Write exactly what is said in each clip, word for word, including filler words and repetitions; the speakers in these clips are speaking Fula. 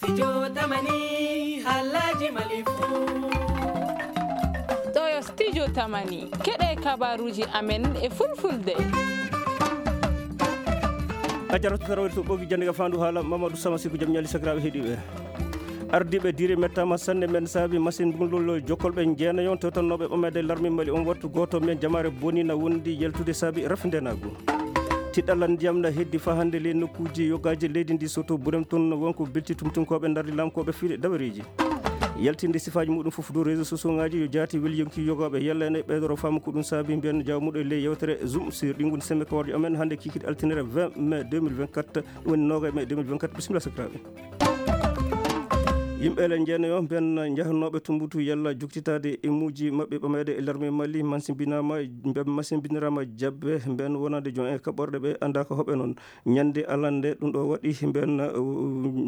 Studio Tamani, Halaji Malifu. Toyo Studio Tamani, keɗe kabaruji amen e fulfulde. A jarata tarawiri to ɓogi jannde ga fandu haala Mamadou Sama Siku jam ñali sakiraaɓe heɗiɓe. Ardiiɓe diire mettaama sanne men saabi machine mbulol jokkolɓe jeenayon tewtannooɓe ɓamede larme Mali on wattu gooto men jamaare boni na wondi yaltude saabi rafindenaagu. Tiɗɗalla ndiyam na heddi faa hannde ley nokkuuji yogaaji leydi ndi soto burem tun wonko bilti tumtunkooɓe ndardi lamkooɓe fiɗe dawareeji. Yaltinde sifaaji muɗum fof dow réseau sociaux ngaji yo jaati weli yonki yogaaɓe yalla ene ɓeydoro faamu ko ɗum saabi mbiyen jawmuɗo e ley yewtere Zoom sur ɗi ngoni semme kawarjo amen hannde kikiɗe altinere vingt mai deux mille vingt-quatre, ɗum woni noogay mai deux mille vingt-quatre. Bisimilla sakiraaɓe. Yimɓe ele jeenayo ɓen njahanooɓe Tumbutu yalla joktitaade e muuji maɓɓe ɓameede e larme Mali, mansimbinaama, mbe-, mansimbiniraama jabbe, mben wonande jon e kaɓorɗe ɓe anndaa ko hoɓe noon. Ñande alande ɗum ɗo waɗi, mben, uh,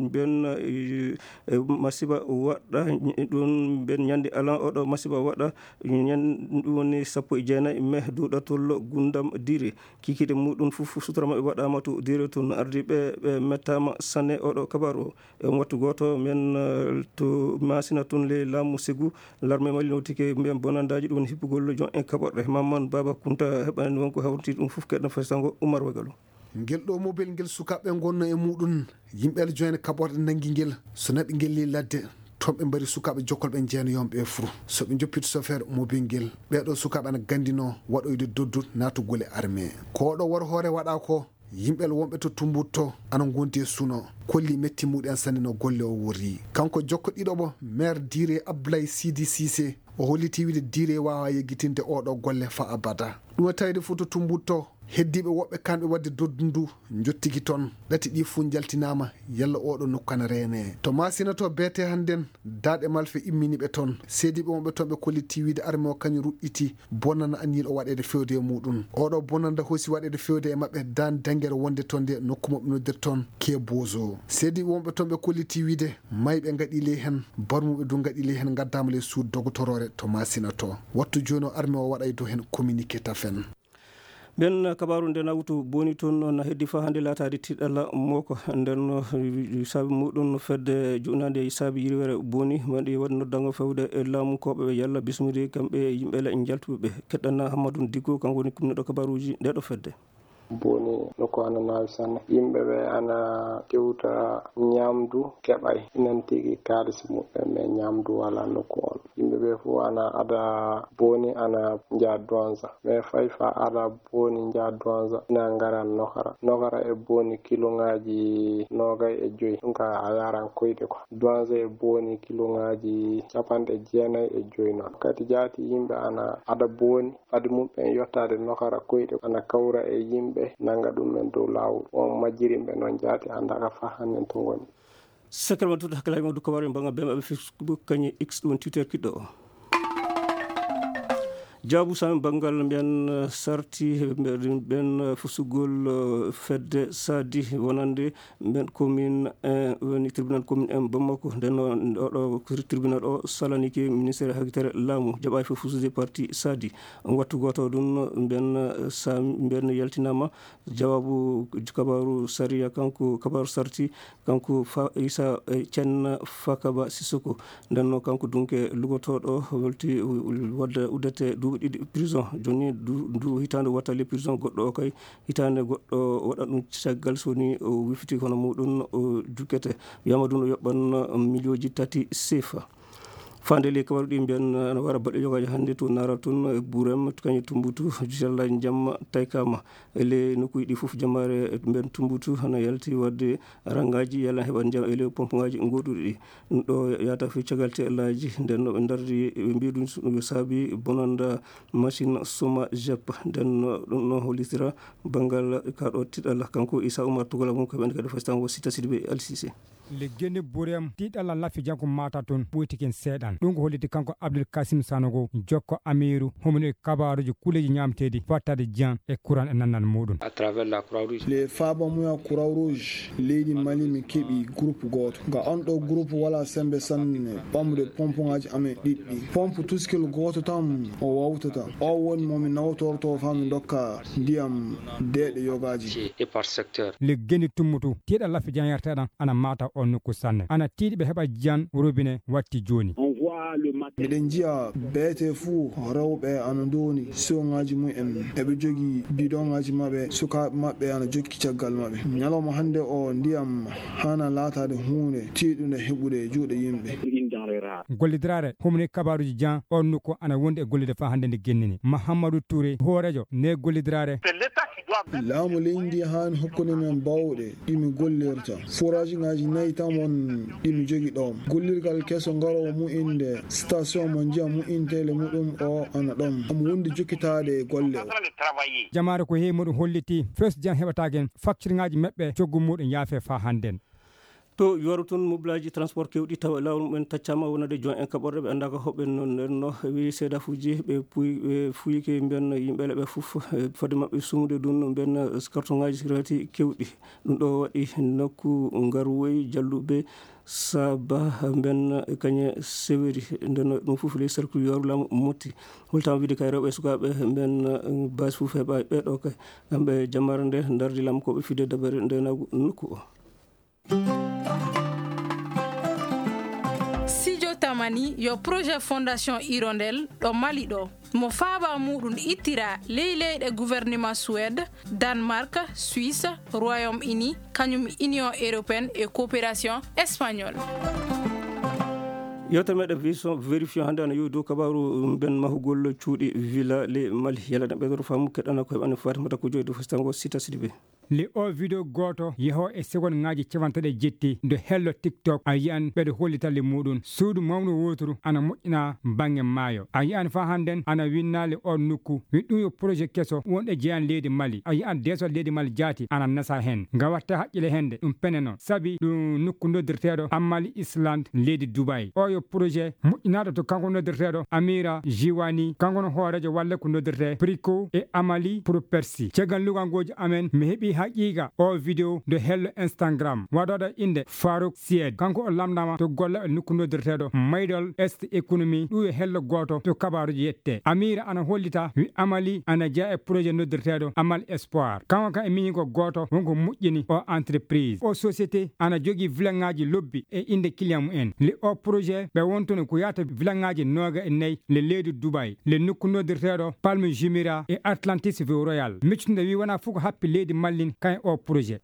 mben, uh, uh, masiba waɗa, ɗum mben ñande alan oɗo masiba waɗa, ñan-, ɗum woni sappo e jeenayi mai duɗatol Gundam Dire. Kikiɗe muɗum fof sutura maɓɓe waɗaama to Dire tun. Ardiiɓe ɓe mettaama sanne oɗo kabaru o. E wattu gooto, men, eh, to Masina tun, le laamu Segu, larme Mali notike mbiyen bonandaaji ɗum hippugol jon e kaɓorɗe. Mamman Baba Kunta heɓani wonko hawriti ɗum fof keɗno faysango Umar Wagalo. Ngel ɗo mobel ngel sukaaɓe ngonno e muɗum, yimɓe Aljoine kaɓorɗe nangi ngel, so naɓi ngel ley ladde, toon ɓe mbari sukaaɓe jokkolɓe jeenayonɓe e fuu. So ɓe njoppiti sofeer mobel ngel, ɓeeɗo sukaaɓe ana gandino waɗoyde doddu naatugol e armée. Ko oɗo wor hoore waɗa ko, yimɓe wonɓe to Tumbutto ana ngondi e suno, kolli metti muɗen sanne no golle o worri. Kanko jokko ɗiɗoɓo maire Dire Abdoulaye Sidi Cissé, o holliti wiide Dire waawa yeggitinde oɗo golle fa abada. Ɗum e tawde fof to Tumbutto, heddiiɓe woɓɓe kamɓe waɗde doddu ndu njottiki toon. Ɗati ɗi fof njaltinaama, yalla oɗo nokku ana reene. To Masina to beete hannden, daaɗe malfe immini ɓe toon. Seediiɓe wonɓe toon ɓe kolliti wiide armée o kañum ruɗɗiti bonanda anniyiiɗo waɗeede fewde e muɗum. Oɗo bonanda hosi waɗeede fewde e maɓɓe daan dangere wonde toon nde nokku mo ɓe noddirta toon Kebozo. Seediiɓe wonɓe toon ɓe kolliti wiide mayɓe ngaɗi ley heen, barmuɓe du ngaɗi ley heen, ngaddaama ley suudu dogotoroore to Masina to. Wattu jooni o armée o waɗay dow heen communiqué tafen. Ɓen kabaaru nde nawtu boni toon na heddi faa hannde laataade tiɗalla moko. Nden no saabi muɗum fedde juɗnaande saabi yirwere boni, waɗi waɗi noddango fewde e laamu ko ɓe yalla bismidi kamɓe yimɓe le njaltuɓe ɓe. Keɗɗana Hammadou Dicko, kanko woni kumneɗo kabaaruuji nde ɗo fedde. Boni nokku ana naawi sanne. Yimɓe ɓe ana tewta ñamdu keɓay. Inan tigi kaalisi muɓɓen, mais ñamdu wala nokku on. Yimɓe ɓe fof ana ada boni ana nja donza. Mais fay fa ada boni nja donza ina ngaran nokara. Nokara e boni kiloŋaaji noogay e joy. Ɗum ka a yaran koyɗe ko. Donza e boni kiloŋaaji capanɗe jeenay e joy noon. Kadi jaati yimɓe ana ada boni. Fadi muɓɓen yottaade nokara koyɗe ana kawra e yimɓe nanga ɗum men dow laawol. On majjirimɓe noon jaati annda ka fa hannen to ngoni. Sekere ma tuta hakkilaaji mawdu kabaru e banngal B M A ɓe Facebook kañum X ɗum Twitter kiɗɗo o. Jaabu sami banngal mbiyan, eh, sarti mbiyan, mbiyan, eh, fusugol, eh, fedde sadi wonande mbiyan commune, eh, woni tribunal commune en Bamako. Nden noon oɗo tribunal o salanike ministère hakitere laamu jaɓaay fof fusude parti sadi. Wattu gooto ɗum mbiyan, eh, sami mbiyan yaltinama jawaabu kabaru sariya kanko kabaru sarti kanko fa isa, eh, cenna fakaba sisoko. Ndenno kanko dunke lugotooɗo welti wadda uddete duuɓi ɗiɗi prison. Joni du, du hitaande wattali prison goɗɗo o kay hitaande goɗɗo waɗa ɗum caggal so ni o wifiti hono muɗum o jukkete. Wiyama ɗum o yoɓɓan miliyonji tati sefa. Fande le kabaru ɗi mbiyan ana wara baɗɗo yogaji hannde to nara tun e Burem, kañum Tumbutu, Jalla Jamma, Taykama. E le nokkuji ɗi fof jamaare mbiyan Tumbutu hana yalti wadde rangaji yalla heɓa ndiyam e le pompe ngaji goɗɗuɗi ɗi. Ɗum ɗo yata fi cagal te Allaji nden no ɓe dardi ɓe mbiya ɗum so ɗum saabi bonanda machine suma jep nden no ɗum no hollitira banngal ka ɗo tiɗal kanko Issa Oumar Togola mum ko ɓen kadi fasitan wo Sita Sidibé Alsise. Le gene Burem tiɗal Lafi Janko mata toon ɓoytiken seeɗan. Ɗum ko holliti kanko Abdul Kasim Sanogo, jokko Amiiru, hommino e kabaaruuji kuleeji ñaamteedi fattaade jiyan e kuran e nannal muuɗum. Le faaba muya Croix Rouge leydi Mali, mi keɓi groupe gooto. Nga on ɗo groupe wala sembe sanne ɓamde pompuŋaaji amen ɗiɗɗi. Pompe tuskil gooto tan o wawtata. O woni mo mi nawtorto faa mi dokka ndiyam deeɗe yogaaji. Liggeni tummutu, tiiɗa laffi janyarteɗan ana mata o nokku sanne. Ana tiiɗi ɓe heɓa jiyan robine watti jooni. Miɗen njiya beete fuu rewɓe ana ndooni siwoŋaaji mumen. Eɓe jogi bidoŋaaji maɓɓe, sukaaɓe maɓɓe ana jokki caggal maɓɓe. Ñalawma hannde o, ndiyam hana laataade huunde tiiɗunde heɓude e juuɗe yimɓe. Gollidiraare, humni kabaaruuji jan, on nokku ana wondi e gollude faa hannde nde gennini. Mahamadou Touré, hooreejo ne gollidiraare. Laamu leydi ndi haani hokkude men bawɗe ɗi mi gollirta. Foraajiŋaaji nayi tan won ɗi mi jogi ɗoon. Gollirgal keso ngaroowo mu'inde station mo ndiyam mu'inteele muɗum o ana ɗoon. Omo wondi jokkitaade e golle o. Jamaare ko heewi muɗum holliti fes jan heɓataake en, faktirŋaaji maɓɓe coggu muɗum yaafe faa hannden. To Yooru tun, mobilaaji transport kewɗi tawa e laawol mumen taccaama wonande jon en kaɓorɗe ɓe anndaaka hoɓɓe. Noon nden no wi seedafuuji ɓe puy-, ɓe fuyike mbiyan yimɓe le ɓe fof, eh, fodde maɓɓe sumude ɗum mbiyan, eh, kartoŋaaji sirati kewɗi. Ɗum ɗo waɗi nokku Ngarwoy, Jalluɓe, Saba mbiyan kañe seweri. Nden no ɗum fof ley cercle Yooru laamu motti. Holtaama wiide kay rewɓe e sukaaɓe mbiyan, eh, base fof heɓa ɓe ɗo kay. Kamɓe jamaare nde ndardi lam ko ɓe fide dabare nde nagu nokku o. Sijo Tamani yo projet Fondation Hirondelle ɗo Mali ɗo. Mo faaba muɗum ittira ley leyɗe gouvernement Suède, Danemark, Suisse, Royaume-Uni, kañum Union Européenne e Coopération Espagnole. Yewtere meɗen Vision Vérifié hannde ana yowi dow kabaaru mben mahugol cuuɗi villa le Mali. Yalla ɗen ɓeydoro faamu keɗɗana ko heɓani Fatimata ko joyi dow festango Sita Sidibé. Le o video gooto yehoo e segonŋaaji capanɗe jetti nde hello TikTok, a yi'an ɓeɗo hollita le muɗum suudu mawnu wooturu ana moƴƴina baŋŋe maayo. A yi'an faa hannden ana winnaa le o nokku. Wi ɗum yo projet keso wonɗe jeyan leydi Mali. A yi'an deesol leydi Mali jaati ana nasa hen. Nga watta haqqile hende ɗum peneno sabi ɗum nokku noddirteeɗo Amali Island leydi Dubai. O yo projet moƴƴinaaɗo to kanko noddirteeɗo Amira Jiwani, kanko no hooreejo walle ko noddirtee Prico e Amali Pro Persi. Caggal luganngooji amen, mi heɓi haqiiqa o video nde hello Instagram. Waɗooɗo innde Farouk Sied. Kanko o lamndaama to golle e nokku noddirteeɗo Maydol Est Economy. Ɗum e hello gooto to kabaaruji yette. Amira ana hollita wi Amali ana jeya e projet noddirteeɗo Amal Espoir. Kanko kan e miñi ko gooto wonko moƴƴini o entreprise. O société ana jogii vilaŋaaji lobbi e innde client mumen. Le o projet ɓe wontuno ko yahata vilaŋaaji nooga e nayi le leydi Dubai, le nokku noddirteeɗo Palme Jumeirah e Atlantis View Royal. Miccude wi wonaa fof ko happi leydi Mali kan e o projet.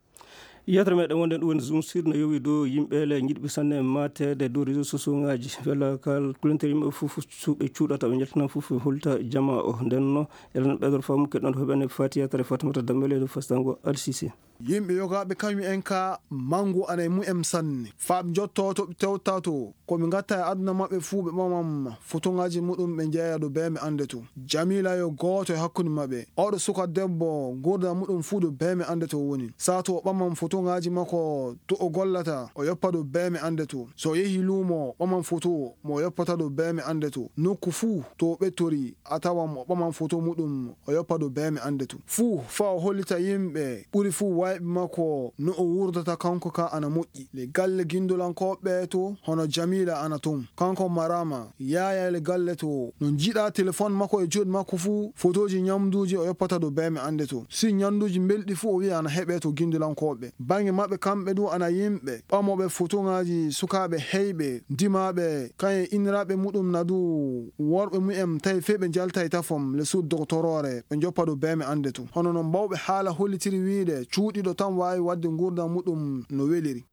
Yewtere meɗen wonde ɗum woni Zoom Sud no yowi dow yimɓe le njiɗɓe sanne maateede dow réseaux sociaux ŋaaji. Walla kal kulentere yimɓe fof su-, ɓe cuuɗata, ɓe njaltina fof holta jama o. Nden no, elen ɓeydor faamu keɗɗon to heɓene Fatiya Tare Fatimata Dambele dow festango Al Sisi. Yimɓe yogaaɓe kañum en ka mangu ana e mumen sanne. Faa ɓe njotto to ɓe tewta to, ko ɓe ngatta e aduna maɓɓe fuu ɓe ɓamam fotoŋaaji muɗum ɓe njeeya ɗo bee mi annde to. Jamila yo gooto e hakkunde maɓɓe. Oɗo suka debbo nguurndam muɗum fuu ɗo bee mi annde to woni. Saa to o ɓamam fotoŋaaji makko to o gollata, o yoppa ɗo bee mi annde to. So o yehi luumo, o ɓamam foto mo o yoppata ɗo bee mi annde to. Nokku fuu to o ɓettori, a tawan o ɓaman foto muɗum, o yoppa ɗo bee mi annde to. Fuu faa o hollita yimɓe ɓuri fuu wayɓe makko no o wurdata kanko ka ana moƴƴi. Le galle gindolankooɓe to, hono Jamila ana ton. Kanko Marama, yaaya le galle to, no njiɗa telefon makko e juuɗe makko fuu, fotooji ñamduuji o yoppata ɗo bee mi annde to. Si ñamduuji mbelɗi fuu o wi'a ana heɓe to gindolankooɓe. Baŋnge maɓɓe kamɓe du ana yimɓe ɓamooɓe fotoŋaaji sukaaɓe heyɓe, dimaaɓe, kañum e inniraaɓe muɗum na du worɓe mumen tawi fey ɓe njalta e tafom le suudu dogotoroore, ɓe njoppa ɗo bee mi annde to. Hono no mbawɓe haala hollitiri wiide, cuuɗiiɗo tan waawi waɗde nguurndam muɗum no weliri.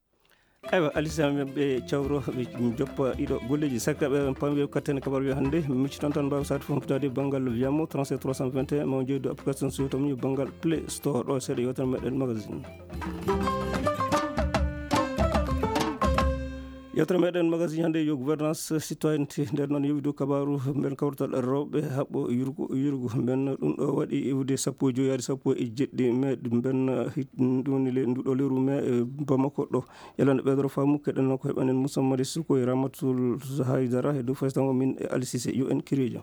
Aywa, Alisa men ɓe cawro, ɓe joppa ɗiɗo golleeji sakka ɓe pamwe katten kabar wiya hannde, micci tan tan mbaawa sati fof fitaade banngal wiyamo trente-sept trois cent vingt et un, ma o jeydu application so tawi banngal Play Store ɗo seeɗa yewtere meɗen magazine. Yewtere meɗen magazine hannde yo gouvernance citoyenneté. Nder noon yowidu kabaru mben kawrital rewɓe haɓɓo yurgu yurgu mben, ɗum ɗo waɗi iwde sappo e joyi yaade sappo e jeɗɗi mai mben, hit-, ɗum woni le-, nduɗo leru mai e Bamako ɗo. Yalande ɓeydoro faamu keɗen ko heɓanen Moussa Madi Suko e Ramatul Haydara e dow faysango min e Alisise yo en kirijo.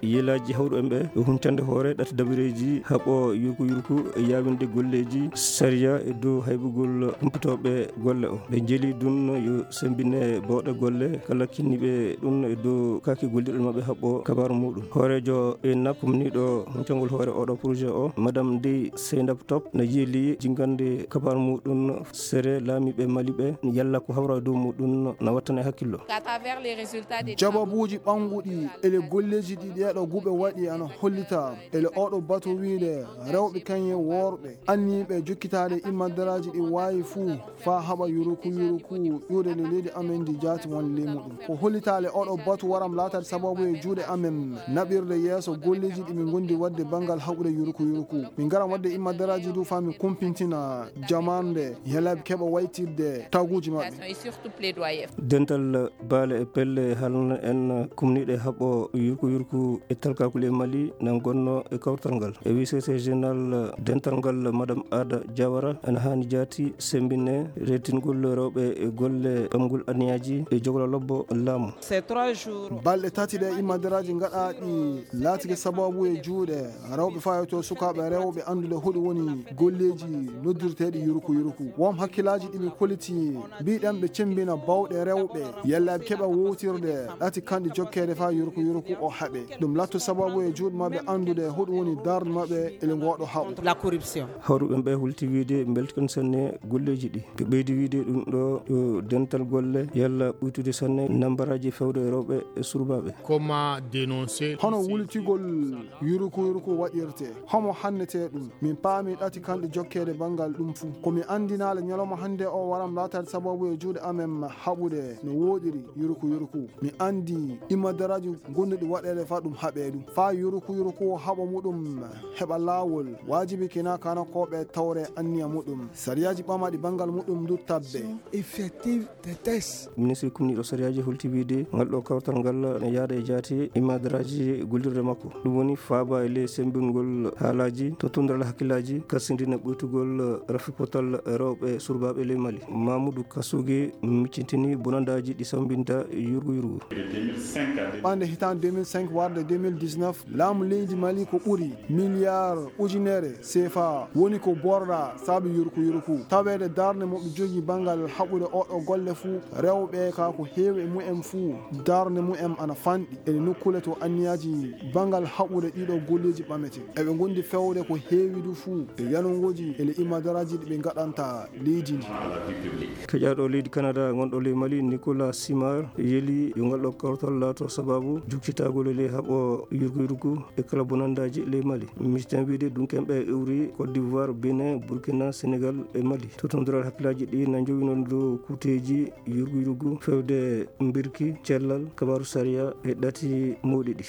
Yelaaji hawruɓe ɓe e huncande hoore ɗati dabireeji haɓo yurku yurku e yaawinde golleeji sariya e dow haybugol humpitooɓe golle o. Ɓe jeli ɗum yo sembine bawɗe golle kala kinniɓe ɗum e dow kaake gollirɗe maɓɓe haɓo kabaaru muɗum. Hooreejo e nakkumniiɗo huncangol hoore oɗo projet o, Madame Ndeye Seynab Top, na yeeli jingande kabaaru muɗum sere laamiiɓe Mali ɓe, yalla ko hawra e dow muɗum na wattane hakkillo. Qu'à travers les résultats des travaux. Jababuuji ɓannguɗi ele golleeji ɗi ɗeeɗo guuɓe waɗi ana hollita ele oɗo batu wiide rewɓe kañe worɓe anniiɓe jokkitaade immadaraaji ɗi waawi fuu faa haɓa yuruku yuruku ƴuuɗe nde leydi amen ndi jaati won ley muɗum. Ko hollitaale oɗo batu waram laataade sababu e juuɗe amen naɓirde yeeso golleeji ɗi min ngondi waɗde banngal haɓude yuruku yuruku. Min ngaran waɗde immadaraaji du faa min kumpintina jamaanu nde yelaaɓe keɓa waytirde taguuji maɓɓe. Et surtout plaidoyer. Dental baale e pelle halna en kumniiɗe haɓo yurku yurku e talkakule Mali na gonno e kawtal ngal. E wii secrétaire général dental ngal, Madame Ada Diawara, ena haani jaati sembine reetingol rewɓe e golle ɓamgol aniyaaji e jogla lobbo laamu. Ces trois jours. Balɗe tati ɗe immadaraaji ngaɗaaɗi laatike sababu e juuɗe rewɓe fayotoo sukaaɓe rewɓe anndude hoɗum woni golleeji noddirteeɗi yuruku yuruku. Won hakkillaaji ɗi ɓe kolliti mbiɗen ɓe cembina bawɗe rewɓe yalla ɓe keɓa wowtirde ɗati kanɗi jokkeede faa yuruku yuruku o haɓe. Ɗum latto sababu e juuɗe maɓɓe anndude hoɗum woni darnde maɓɓe ele ngooɗo haɓu. La corruption. Hawruɓe ɓe hulti wiide mbeltikan sanne golleeji ɗi. Ɓe ɓeydi wiide ɗum ɗo yo dental golle yalla ɓuytude sanne nambaraaji fewde e rewɓe e surbaaɓe. Comment dénoncer? Hono wultigol yuruku yuruku waɗirte? Homo hannete ɗum? Min paami ɗati kanɗi jokkeede banngal ɗum fuu. Ko mi anndinaale ñalawma hannde o waram laataade sababu e juuɗe amen haɓude no wooɗiri yuruku yuruku. Mi anndi immadaraaji gonnuɗi waɗeede faa ɗum haɓee ɗum. Faa yuruku yuruku o haɓa muɗum heɓa laawol, waajibi kina kanakooɓe tawre anniya muɗum. Sariyaaji ɓamaaɗi banngal muɗum ndu tabbe. Effective de test. Ministre kumniiɗo sariyaaji holti wiide ngal ɗo kawtal ngal ne yaada e jaati immadaraaji gollirde makko. Ɗum woni faaba e ley sembingol haalaaji to tunndal hakkillaaji, karsindina ɓuytugol rafi potal rewɓe surbaaɓe ley Mali. Mamoudou Kassougué miccintini bonandaaji ɗi sambinta yurgu yurgu. Ɓande hitaande deux mille cinq warde deux mille dix-neuf, laamu leydi Mali ko ɓuri miliyar ujunere C F A woni ko borɗa saabi yuruku yuruku. Taweede darnde mo ɓe jogii banngal haɓude oɗo golle fuu, rewɓe ka ko heewi e mumen fuu, darnde mumen ana fanɗi. Ene nokkule to anniyaaji banngal haɓude ɗiɗo golleeji ɓamete. Eɓe ngondi fewde ko heewi du fuu e yanongooji ele immadaraaji ɗi ɓe ngaɗanta leydi ndi. Keƴaaɗo leydi Canada gonɗo ley Mali, Nicolas Simard, yeli yo ngal ɗo kawtal laato sababu jukkitagol e ley haɓo yurgu yurgu e kala bonandaaji ley Mali. Misitan wiide dunken ɓe iwri Côte d'Ivoire, Bénin, Burkina, Sénégal e Mali. Totondiral hakkillaaji ɗi na njowino dow kuuteeji yurgu yurgu fewde mbirki, cellal, kabaaru sariya e ɗati mawɗi ɗi.